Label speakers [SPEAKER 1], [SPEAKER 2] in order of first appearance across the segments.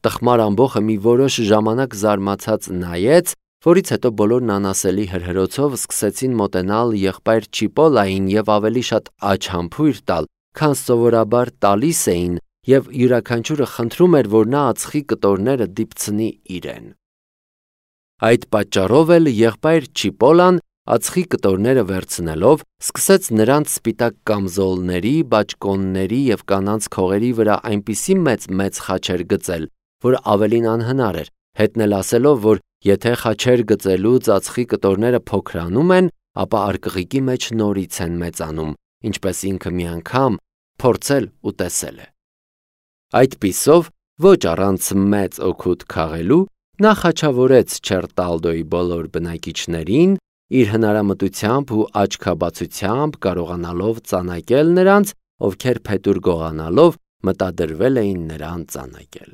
[SPEAKER 1] Տխմար ամբոխը մի որոշ ժամանակ զարմացած նայեց, որից հետո բոլորն անասելի հրհրոցով սկսեցին մոտենալ եղբայր Չիպոլային և ավելի շատ աչհամբույր տալ, քան սովորաբար տալիս էին, և յուրաքանչյուրը խնդրում էր, որ նա ածխի կտորները դիպցնի իրեն։ Այդ պատճառով էլ եղբայր Չիպոլան ածխի կտորները վերցնելով սկսեց նրանց սպիտակ կամզոլների, բաճկոնների և կանանց քողերի վրա այնպիսի մեծ խաչեր գծել, որ ավելին անհնար էր, հետն էլ ասելով, որ եթե խաչեր գծելուց ածխի կտորները փոքրանում են, ապա արկղիկի մեջ նորից են մեծանում, ինչպես ինքը մի անգամ փորձել ու տեսել է։ Այդպիսով, ոչ առանց մեծ օգուտ քաղելու, նա խաչավորեց Չերտալդոյի բոլոր բնակիչներին, իր հնարամտությամբ ու աչքաբացությամբ կարողանալով ծանակել նրանց, ովքեր փետուր գողանալով մտադրվել էին նրան ծանակել։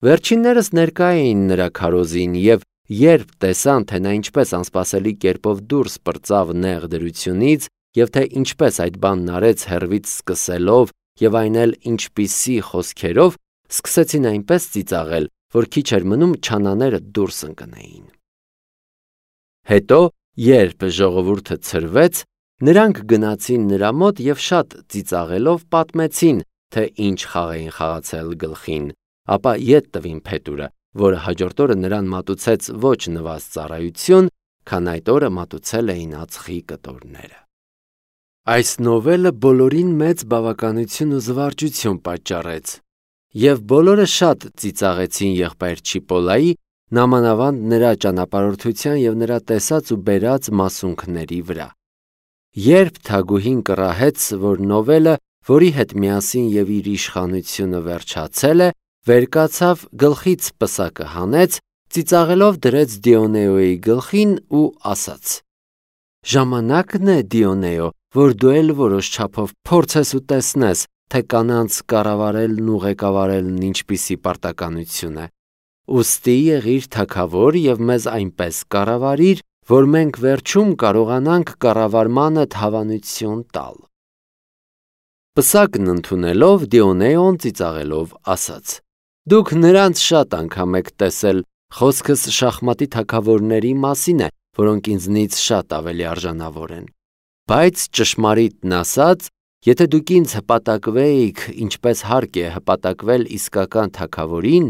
[SPEAKER 1] Վերջիններս ներկա էին նրա քարոզին և երբ տեսան, թե նա ինչպես անսպասելի կերպով դուրս պրծավ նեղ դրությունից և թե ինչպես այդ բանն արեց հեռվից սկսելով և այն էլ ինչպիսի խոսքերով, սկսեցին այնպես ծիծաղել, որ քիչ էր մնում չանաները դուրս ընկնեին։ Հետո, երբ ժողովուրդը ցրվեց, նրանք գնացին նրա մոտ և շատ ծիծաղելով պատմեցին, թե ինչ խաղ էին խաղացել գլխին, ապա ետ տվին փետուրը, որը հաջորդ օրը նրան մատուցեց ոչ նվազ ծառայություն, քան այդ օրը մատուցել էին ածխի կտորները։ Այս նովելը բոլորին մեծ բավականություն ու զվարճություն պատճառեց, և բոլորը շատ ծիծաղեցին եղբայր Չիպոլայի, նամանավանդ նրա ճանապարհորդության և նրա տեսած ու բերած մասունքների վրա։ Երբ թագուհին կռահեց, որ նովելը, որի հետ միասին և իր իշխանությունը վերջացել է, վեր կացավ, գլխից պսակը հանեց, ծիծաղելով դրեց Դիոնեոյի գլխին ու ասաց. «Ժամանակն է, Դիոնեո, որ դու էլ որոշ չափով փորձես ու տեսնես, թե կանանց կառավարելն ու ղեկավարելն ինչպիսի պարտականություն է։ Ուստի եղիր թագավոր և մեզ այնպես կառավարիր, որ մենք վերջում կարողանանք կառավարմանդ հավանություն տալ»։ Պսակն ընդունելով, Դիոնեոն ծիծաղելով ասաց. «Դուք նրանց շատ անգամ եք տեսել, խոսքս շախմատի թագավորների մասին է, որոնք ինձնից շատ ավելի արժանավոր են։ Բայց ճշմարիտն ասած, եթե դուք ինձ հպատակվեիք, ինչպես հարկ է հպատակվել իսկական թագավորին,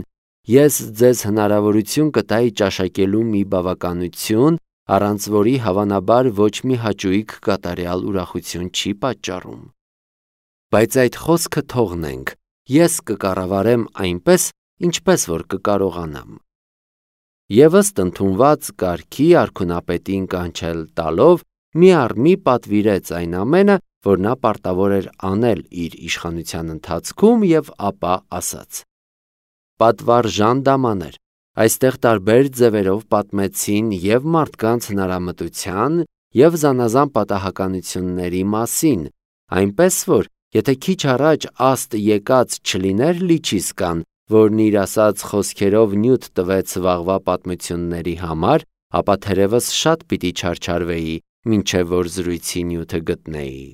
[SPEAKER 1] ես ձեզ հնարավորություն կտայի ճաշակելու մի բավականություն, առանց որի հավանաբար ոչ մի հաճույք կատարյալ ուրախություն չի պատճառում։ Բայց այդ խոսքը թողնենք, ես կկառավարեմ այնպես, ինչպես որ կկարողանամ»։ Եվ ըստ ընդունված կարգի արքունապետին կանչել տալով, մի առ մի պատվիրեց այն ամենը, որ նա պարտավոր էր անել իր իշխանության ընթացքում և ապա ասաց. Պատվարժան դամաներ, այստեղ տարբեր ձևերով պատմեցին և մարդկանց հնարամտության և զանազան պատահականությունների մասին, այնպես որ, եթե քիչ առաջ աստ եկած չլիներ Լիչիսկան, որն իր ասած խոսքերով նյութ տվեց վաղվա պատմությունների համար, ապա թերևս շատ պիտի չարչարվեի, մինչև որ զրույցի նյութը գտնեի։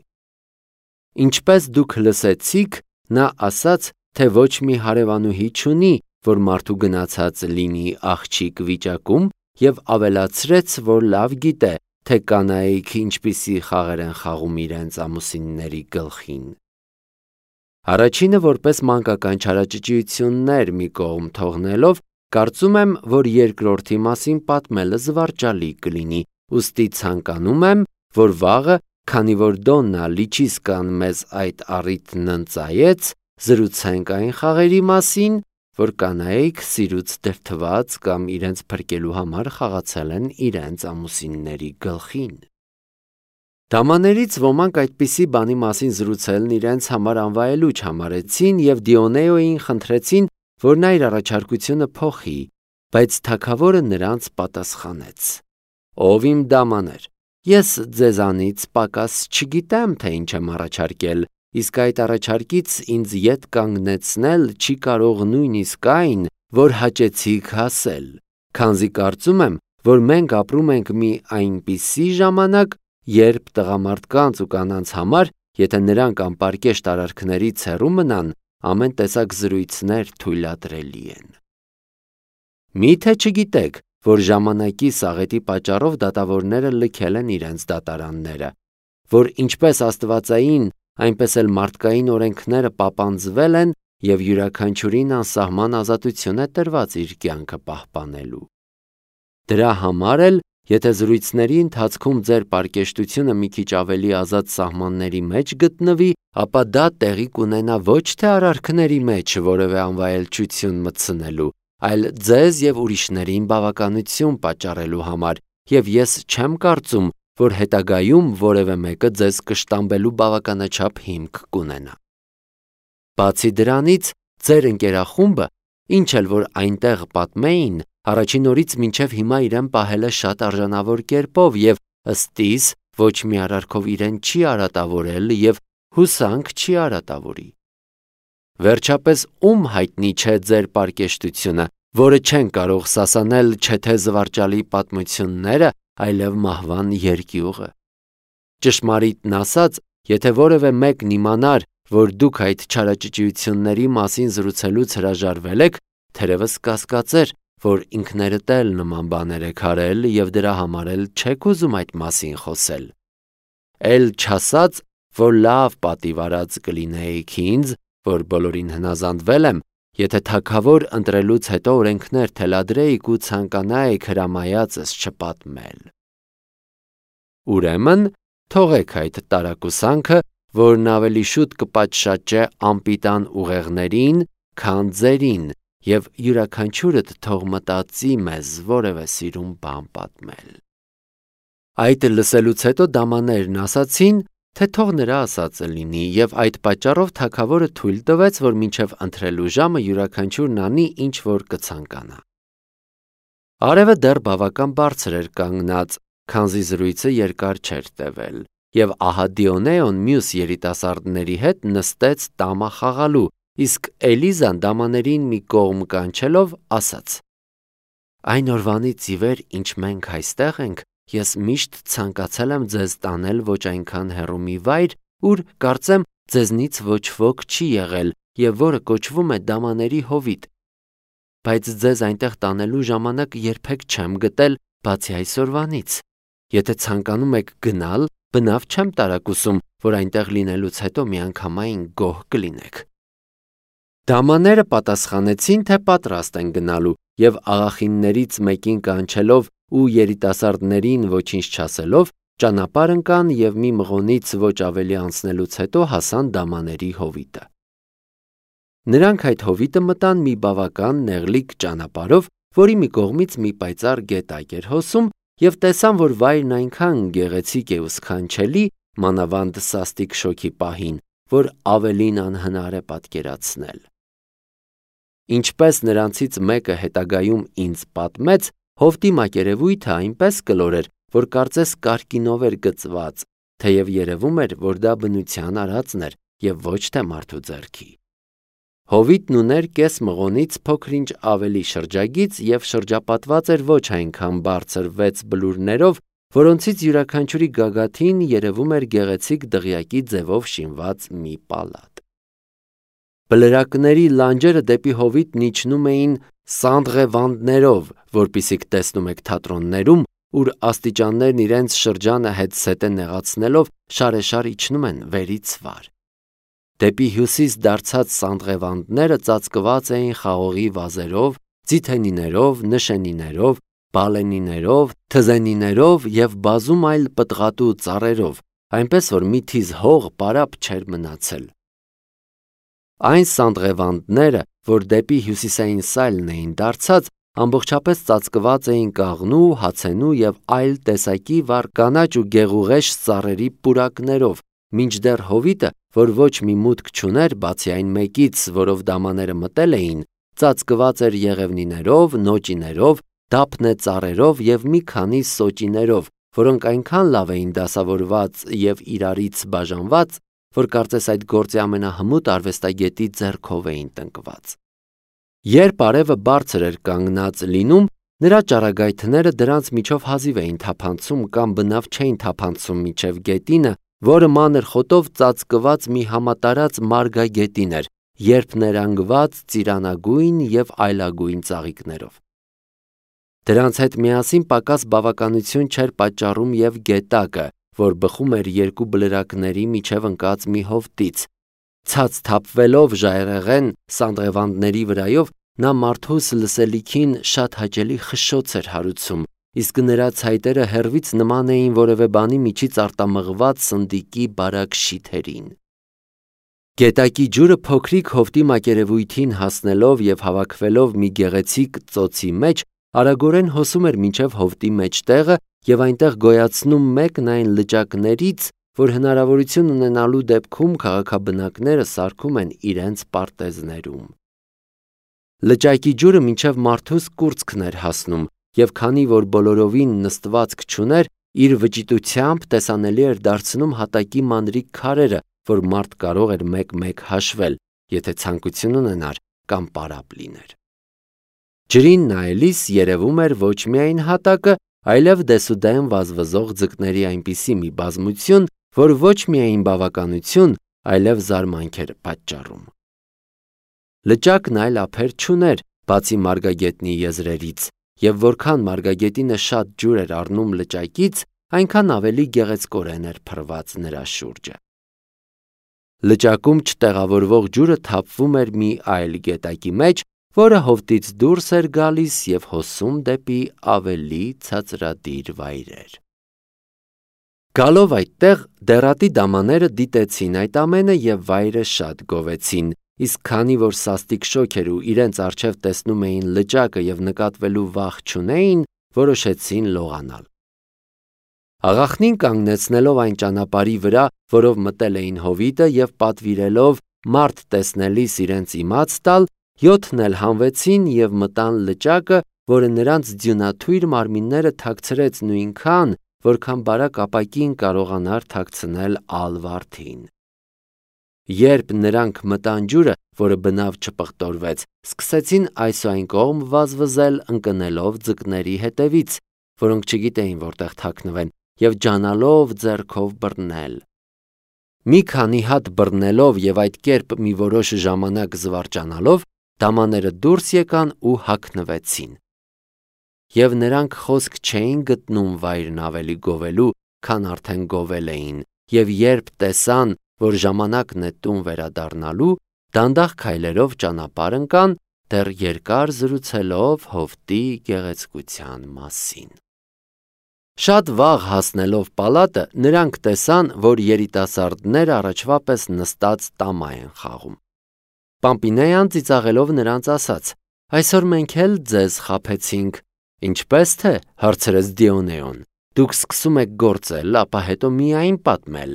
[SPEAKER 1] Ինչպես դուք լսեցիք, նա ասաց, թե ոչ մի հարևանուհի չունի, որ մարդու գնացած լինի աղջիկ վիճակում, և ավելացրեց, որ լավ գիտե, թե կանայք ինչպիսի խաղեր են խաղում իրենց ամուսինների գլխին։ Առաջինը որպես մանկական չարաճճիություններ մի կողմ թողնելով, կարծում եմ, որ երկրորդի մասին պատմելը զվարճալի կլինի, ուստի ցանկանում եմ, որ վաղը, քանի որ Դոննա Լիչիսկան մեզ այդ առիթն ընծայեց, զրուցենք այն խաղերի մասին, որ կանայք սիրուց դրդված կամ իրենց փրկելու համար խաղացել են իրենց ամուսինների գլխին։ Դամաներից ոմանք այդպիսի բանի մասին զրուցելն իրենց համար անվայելուչ համարեցին և Դիոնեոյին խնդրեցին, որ նա իր առաջարկությունը փոխի, բայց թագավորը նրանց պատասխանեց. «Ով իմ դամաներ, ես ձեզանից պակաս չգիտեմ, թե ինչ եմ առաջարկել, իսկ այդ առաջարկից ինձ ետ կանգնեցնել չի կարող նույնիսկ այն, որ հաճեցիք հասել, քանզի կարծում եմ, որ մենք ապրում ենք մի այնպիսի ժամանակ, երբ տղամարդկանց ու կանանց համար, եթե նրանք անպարկեշտ արարքներից հեռու մնան, ամեն տեսակ զրույցներ թույլատրելի են։ Մի՞թե չգիտեք, որ ժամանակի սաղետի պատճառով դատավորները լքել են իրենց դատարանները, որ ինչպես աստվածային, այնպես էլ մարդկային օրենքները պապանձվել են և յուրաքանչյուրին անսահման ազատություն է տրված իր կյանքը պահպանելու։ Դրա համար էլ, եթե զրույցների ընթացքում ձեր պարկեշտությունը մի քիչ ավելի ազատ սահմանների մեջ գտնվի, ապա դա տեղի կունենա ոչ թե արարքների մեջ որևէ անվայելչություն մտցնելու, այլ ձեզ և ուրիշներին բավականություն պատճառելու համար, և ես չեմ կարծում, որ հետագայում որևէ մեկը ձեզ կշտամբելու բավականաչափ հիմք կունենա։ Բացի դրանից, ձեր ընկերախումբը, ինչ էլ որ այնտեղ պատմեին, առաջին օրից մինչև հիմա իրեն պահել է շատ արժանավոր կերպով և ըստ իս ոչ մի արարքով իրեն չի արատավորել և հուսանք չի արատավորի։ Վերջապես ում հայտնի չէ ձեր պարկեշտությունը, որը չեն կարող սասանել չէ թե զվարճալի պատմությունները, այլև մահվան երկյուղը։ Ճշմարիտն ասած, եթե որևէ մեկն իմանար, որ դուք այդ չարաճճիությունների մասին զրուցելուց հրաժարվել եք, թերևս կասկածեր, որ ինքներդ էլ նման բաներ եք արել և դրա համար էլ չեք ուզում այդ մասին խոսել։ Էլ չասած, որ լավ պատիվ արած կլինեիք ինձ, որ բոլորին հնազանդվել եմ, եթե թագավոր ընտրելուց հետո օրենքներ թելադրեիք ու ցանկանայիք հրամայածս չպատմել։ Ուրեմն, թողեք այդ տարակուսանքը, որն ավելի շուտ կպատշաճե անպիտան ուղեղներին, քան ձերին, և յուրաքանչյուրդ թող մտածի մեզ որևէ սիրուն բան պատմել։ Այդ լսելուց հետո դամաներն ասացին, թե թող նրա ասածը լինի, և այդ պատճառով թագավորը թույլ տվեց, որ մինչև ընթրելու ժամը յուրաքանչյուրն անի, ինչ որ կցանկանա։ Արևը դեռ բավական բարձր էր կանգնած, քանզի զրույցը երկար չէր տևել, և ահա Դիոնեոն մյուս երիտասարդների հետ նստեց տամա խաղալու, իսկ Էլիզան դամաներին մի կողմ կանչելով ասաց. «Այն օրվանից ի վեր, ինչ մենք այստեղ ենք, ես միշտ ցանկացել եմ ձեզ տանել ոչ այնքան հեռու մի վայր, ուր կարծեմ ձեզնից ոչ ոք չի եղել և որը կոչվում է Դամաների հովիտ, բայց ձեզ այնտեղ տանելու ժամանակ երբեք չեմ գտել, բացի այսօրվանից։ Եթե ցանկանում եք գնալ, բնավ չեմ տարակուսում, որ այնտեղ լինելուց հետո միանգամայն գոհ կլինեք»։ Դամաները պատասխանեցին, թե պատրաստ են գնալու, և աղախիններից մեկին կանչելով ու երիտասարդներին ոչինչ չասելով, ճանապարհ ընկան և մի մղոնից ոչ ավելի անցնելուց հետո հասան Դամաների հովիտը։ Նրանք այդ հովիտը մտան մի բավական նեղլիկ ճանապարհով, որի մի կողմից մի պայծառ գետակ էր հոսում, և տեսան, որ վայրն այնքան գեղեցիկ է ու սքանչելի, մանավանդ սաստիկ շոգի պահին, որ ավելին անհնար է պատկերացնել։ Ինչպես նրանցից մեկը հետագայում ինձ պատմեց, հովտի մակերևույթը այնպես կլոր էր, որ կարծես կարկինով էր գծված, թեև երևում էր, որ դա բնության արածն էր և ոչ թե մարդու ձեռքի։ Հովիտն ուներ կես մղոնից փոքր-ինչ ավելի շրջագիծ և շրջապատված էր ոչ այնքան բարձր 6 բլուրներով, որոնցից յուրաքանչյուրի գագաթին երևում էր գեղեցիկ դղյակի ձևով շինված մի պալատ։ Բլրակների լանջերը դեպի հովիտն իջնում էին սանդղեվանդներով, որպիսիք տեսնում եք թատրոններում, ուր աստիճաններն իրենց շրջանը հետզհետե նեղացնելով շարեշար իջնում են վերից վար։ Դեպի հյուսիս դարձած սանդղեվանդները ծածկված էին խաղողի վազերով, ձիթենիներով, նշենիներով, բալենիներով, թզենիներով և բազում այլ պտղատու ծառերով, այնպես որ մի թիզ հող պարապ չէր մնացել։ Այն սանդղեվանդները, որ դեպի հյուսիսային սայլն էին դարձած, ամբողջապես ծածկված էին կաղնու, հացենու և այլ տեսակի վառ կանաչ ու գեղուղեշ ծառերի պուրակներով, մինչդեռ հովիտը, որ ոչ մի մուտք չուներ, բացի այն մեկից, որով դամաները մտել էին, ծածկված էր եղևնիներով, նոճիներով, դափնե ծառերով և մի քանի սոճիներով, որոնք այնքան լավ էին դասավորված և իրարից բաժանված, որ կարծես այդ գործի ամենահմուտ արվեստագետի ձեռքով էին տնկված։ Երբ արևը բարձր էր կանգնած լինում, նրա ճառագայթները դրանց միջով հազիվ էին թափանցում կամ բնավ չէին թափանցում մինչև գետինը, որը մանր խոտով ծածկված մի համատարած մարգագետին էր, երբ ներանգված ծիրանագույն և այլագույն ծաղիկներով։ Դրանց հետ միասին պակաս բավականություն չէր պատճառում և գետակը, որ բխում էր երկու բլրակների միջև ընկած մի հովտից։ Ցած թափվելով ժայռեղեն սանդղևանդների վրայով, նա մարդուս լսելիքին շատ հաճելի խշշոց էր հարուցում, իսկ նրա ցայտերը հեռվից նման էին որևէ բանի միջից արտամղված սնդիկի բարակ շիթերին։ Գետակի ջուրը փոքրիկ հովտի մակերևույթին հասնելով և հավաքվելով մի գեղեցիկ ծոցի մեջ, արագորեն հոսում էր մինչև հովտի մեջտեղը և այնտեղ գոյացնում մեկն այն լճակներից, որ հնարավորություն ունենալու դեպքում քաղաքաբնակները սարքում են իրենց պարտեզներում։ Լճակի ջուրը մինչև մարդուս կուրծքն էր հասնում, և քանի որ բոլորովին նստվածք չուներ, իր վճիտությամբ տեսանելի էր դարձնում հատակի մանրիկ քարերը, որ մարդ կարող էր մեկ-մեկ հաշվել, եթե ցանկություն ունենար կամ պարապ լիներ։ Ջրին նայելիս երևում էր ոչ միայն հատակը, այլև դեսուդեն վազվզող ձկների այնպիսի մի բազմություն, որ ոչ միայն բավականություն, այլև զարմանք էր պատճառում։ Լճակն այլ ափեր չուներ, բացի մարգագետնի եզրերից, և որքան մարգագետինը շատ ջուր էր առնում լճակից, այնքան ավելի գեղեցկորեն էր փռված նրա շուրջը։ Լճակում չտեղավորվող ջուրը թափվում էր մի այլ գետակի մեջ, որը հովտից դուրս էր գալիս և հոսում դեպի ավելի ցածրադիր վայրեր։ Գալով այդտեղ, դեռատի դամաները դիտեցին այդ ամենը և վայրը շատ գովեցին, իսկ քանի որ սաստիկ շոգ էր ու իրենց առջև տեսնում էին լճակը և նկատվելու վախ չունեին, որոշեցին լողանալ։ Աղախնին կանգնեցնելով այն ճանապարհի վրա, որով մտել էին հովիտը և պատվիրելով մարդ տեսնելիս իրենց իմաց տալ, 7-ն էլ հանվեցին և մտան լճակը, որը նրանց ձյունաթույր մարմինները թաքցրեց նույնքան, որքան բարակ ապակին կարողանար թաքցնել ալ վարդին։ Երբ նրանք մտան ջուրը, որը բնավ չպղտորվեց, սկսեցին այս ու այն կողմ վազվզել, ընկնելով ձկների հետևից, որոնք չգիտեին որտեղ թաքնվեն, և ջանալով ձեռքով բռնել։ Մի քանի հատ բռնելով և այդ կերպ մի որոշ ժամանակ զվարճանալով, դամաները դուրս եկան ու հագնվեցին։ Եվ նրանք խոսք չէին գտնում վայրն ավելի գովելու, քան արդեն գովել էին, և երբ տեսան, որ ժամանակն է տուն վերադառնալու, դանդաղ քայլերով ճանապարհ ընկան, դեռ երկար զրուցելով հովտի գեղեցկության մասին։ Շատ վաղ հասնելով պալատը, նրանք տեսան, որ երիտասարդները առաջվա պես նստած տամա են խաղում։ Պամպինեան ծիծաղելով նրանց ասաց. «Այսօր մենք էլ ձեզ խաբեցինք»։ «Ինչպես թե», հարցրեց Դիոնեոն, «դուք սկսում եք գործել, ապա հետո միայն պատմել»։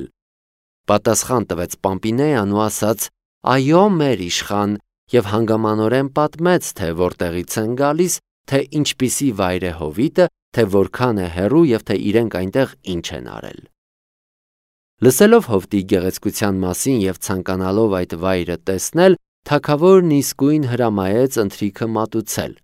[SPEAKER 1] Պատասխան տվեց Պամպինեան ու ասաց. «Այո, մեր իշխան», և հանգամանորեն պատմեց, թե որտեղից են գալիս, թե ինչպիսի վայր է հովիտը, թե որքան է հեռու և թե իրենք այնտեղ ինչ են արել։ Լսելով հովտի գեղեցկության մասին և ցանկանալով այդ վայրը տեսնել, թագավորն իսկույն հրամայեց ընթրիքը մատուցել։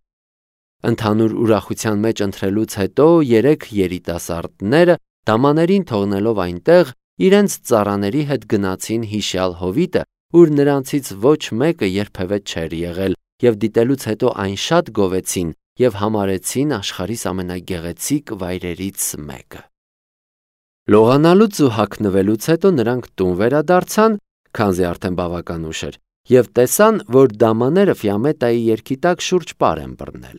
[SPEAKER 1] Ընդհանուր ուրախության մեջ ընթրելուց հետո երեք երիտասարդները, դամաներին թողնելով այնտեղ, իրենց ծառաների հետ գնացին հիշյալ հովիտը, ուր նրանցից ոչ մեկը երբևէ չէր եղել, և դիտելուց հետո այն շատ գովեցին և համարեցին աշխարհիս ամենագեղեցիկ վայրերից մեկը։ Լողանալուց ու հագնվելուց հետո նրանք տուն վերադարձան, քանզի արդեն բավական ուշ էր, և տեսան, որ դամաները Ֆիամետայի երգի տակ շուրջ պար են բռնել։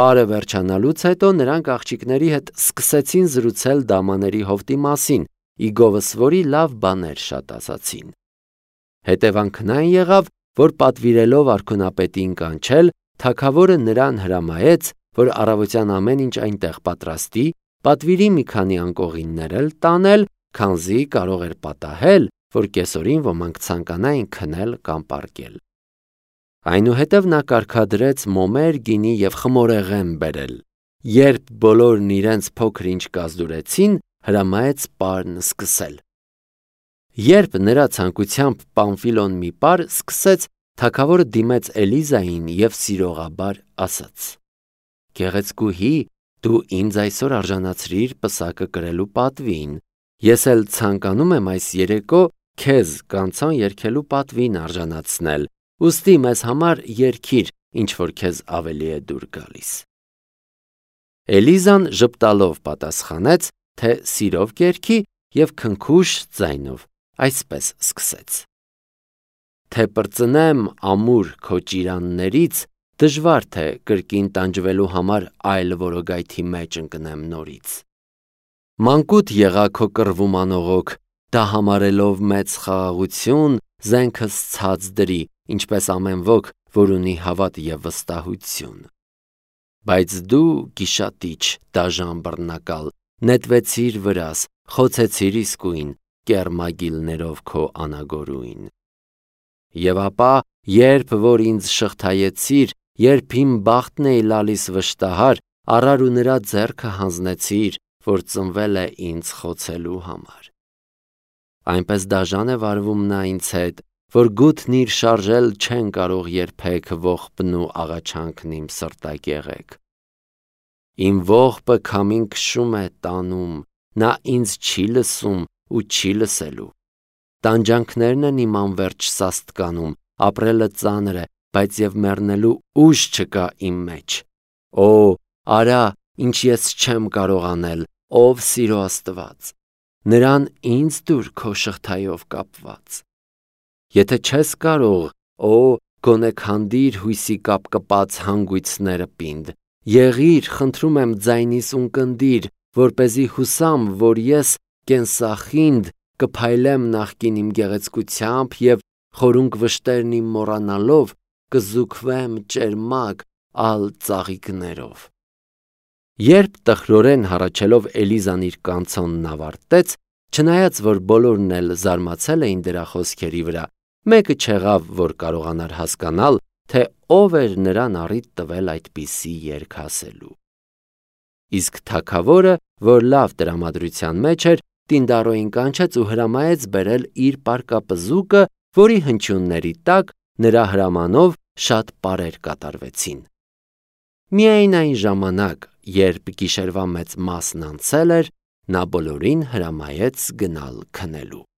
[SPEAKER 1] Պարը վերջանալուց հետո նրանք աղջիկների հետ սկսեցին զրուցել դամաների հովտի մասին, ի գովս որի լավ բաներ շատ ասացին։ Հետևանքն այն եղավ, որ պատվիրելով արքունապետին կանչել, թագավորը նրան հրամայեց, որ առավոտյան ամեն ինչ այնտեղ պատրաստի, պատվիրի մի քանի անկողիններ էլ տանել, քանզի կարող էր պատահել, որ կեսօրին ոմանք ցանկանային քնել կամ պառկել։ Այնուհետև նա կարգադրեց մոմեր, գինի և խմորեղեն բերել։ Երբ բոլորն իրենց փոքր-ինչ կազդուրեցին, հրամայեց պարն սկսել։ Երբ նրա ցանկությամբ Պամֆիլոն մի պար սկսեց, թագավորը դիմեց Էլիզային և սիրողաբար ասաց. «Գեղեցկուհի, դու ինձ այսօր արժանացրիր պսակը կրելու պատվին։ Ես էլ ցանկանում եմ այս երեկո քեզ կանցոն երգելու պատվին արժանացնել, ուստի մեզ համար երգիր, ինչ որ քեզ ավելի է դուր գալիս։ Էլիզան ժպտալով պատասխանեց, թե սիրով կերքի և քնքուշ ձայնով այսպես սկսեց. Թե պրծնեմ ամուր քո ճիրաններից, դժվար թե կրկին տանջվելու համար այլ որոգայթի մեջ ընկնեմ նորից։ Մանկուտ եղա քո կռվում անողոք, դա համարելով մեծ խաղաղություն, զենքս ցած դրի, ինչպես ամեն ոք, որ ունի հավատ և վստահություն։ Բայց դու, գիշատիչ, դաժան բռնակալ, նետվեցիր վրաս, խոցեցիր իսկույն, կեռմագիլներով քո անագորույն։ Եվ ապա, երբ որ ինձ շղթայեցիր, երբ իմ բախտն էի լալիս վշտահար, առար ու նրա ձեռքը հանձնեցիր, որ ծնվել է ինձ խոցելու համար։ Այնպես դաժան է վարվում նա ինձ հետ, որ գութն իր շարժել չեն կարող երբեք ողբն ու աղաչանքն իմ սրտակեղեկ։ Իմ ողբը քամին քշում է տանում, նա ինձ չի լսում ու չի լսելու։ Տանջանքներն են իմ անվերջ սաստկանում, ապրելը ծանր է, բայց և մեռնելու ուժ չկա իմ մեջ։ Օ, արա, ինչ ես չեմ կարող անել, ով սիրո Աստված, նրան ինձ տուր քո շղթայով կապված։ Եթե չես կարող, օ, գոնե քանդիր հույսի կապկպած հանգույցները պինդ, եղիր, խնդրում եմ ձայնիս ունկնդիր, որպեսզի հուսամ, որ ես կենսախինդ կփայլեմ նախկին իմ գեղեցկությամբ և խորունկ վշտերն իմ մոռանալով կզուգվեմ ճերմակ ալ ծաղիկներով։ Երբ տխրորեն հառաչելով Էլիզան իր կանցոնն ավարտեց, չնայած որ բոլորն էլ զարմացել էին դրա խոսքերի վրա, մեկը չեղավ, որ կարողանար հասկանալ, թե ով էր նրան առիթ տվել այդպիսի երգ ասելու։ Իսկ թագավորը, որ լավ տրամադրության մեջ էր, տինդառոյին կանչեց ու հրամայեց բերել իր պարկապզուկը, որի հնչյունների տակ նրա հրամանով շատ պարեր կատարվեցին։ Միայն այն ժամանակ, երբ գիշերվա մեծ մասն անցել էր, նա բոլորին հրամայեց գնալ քնելու։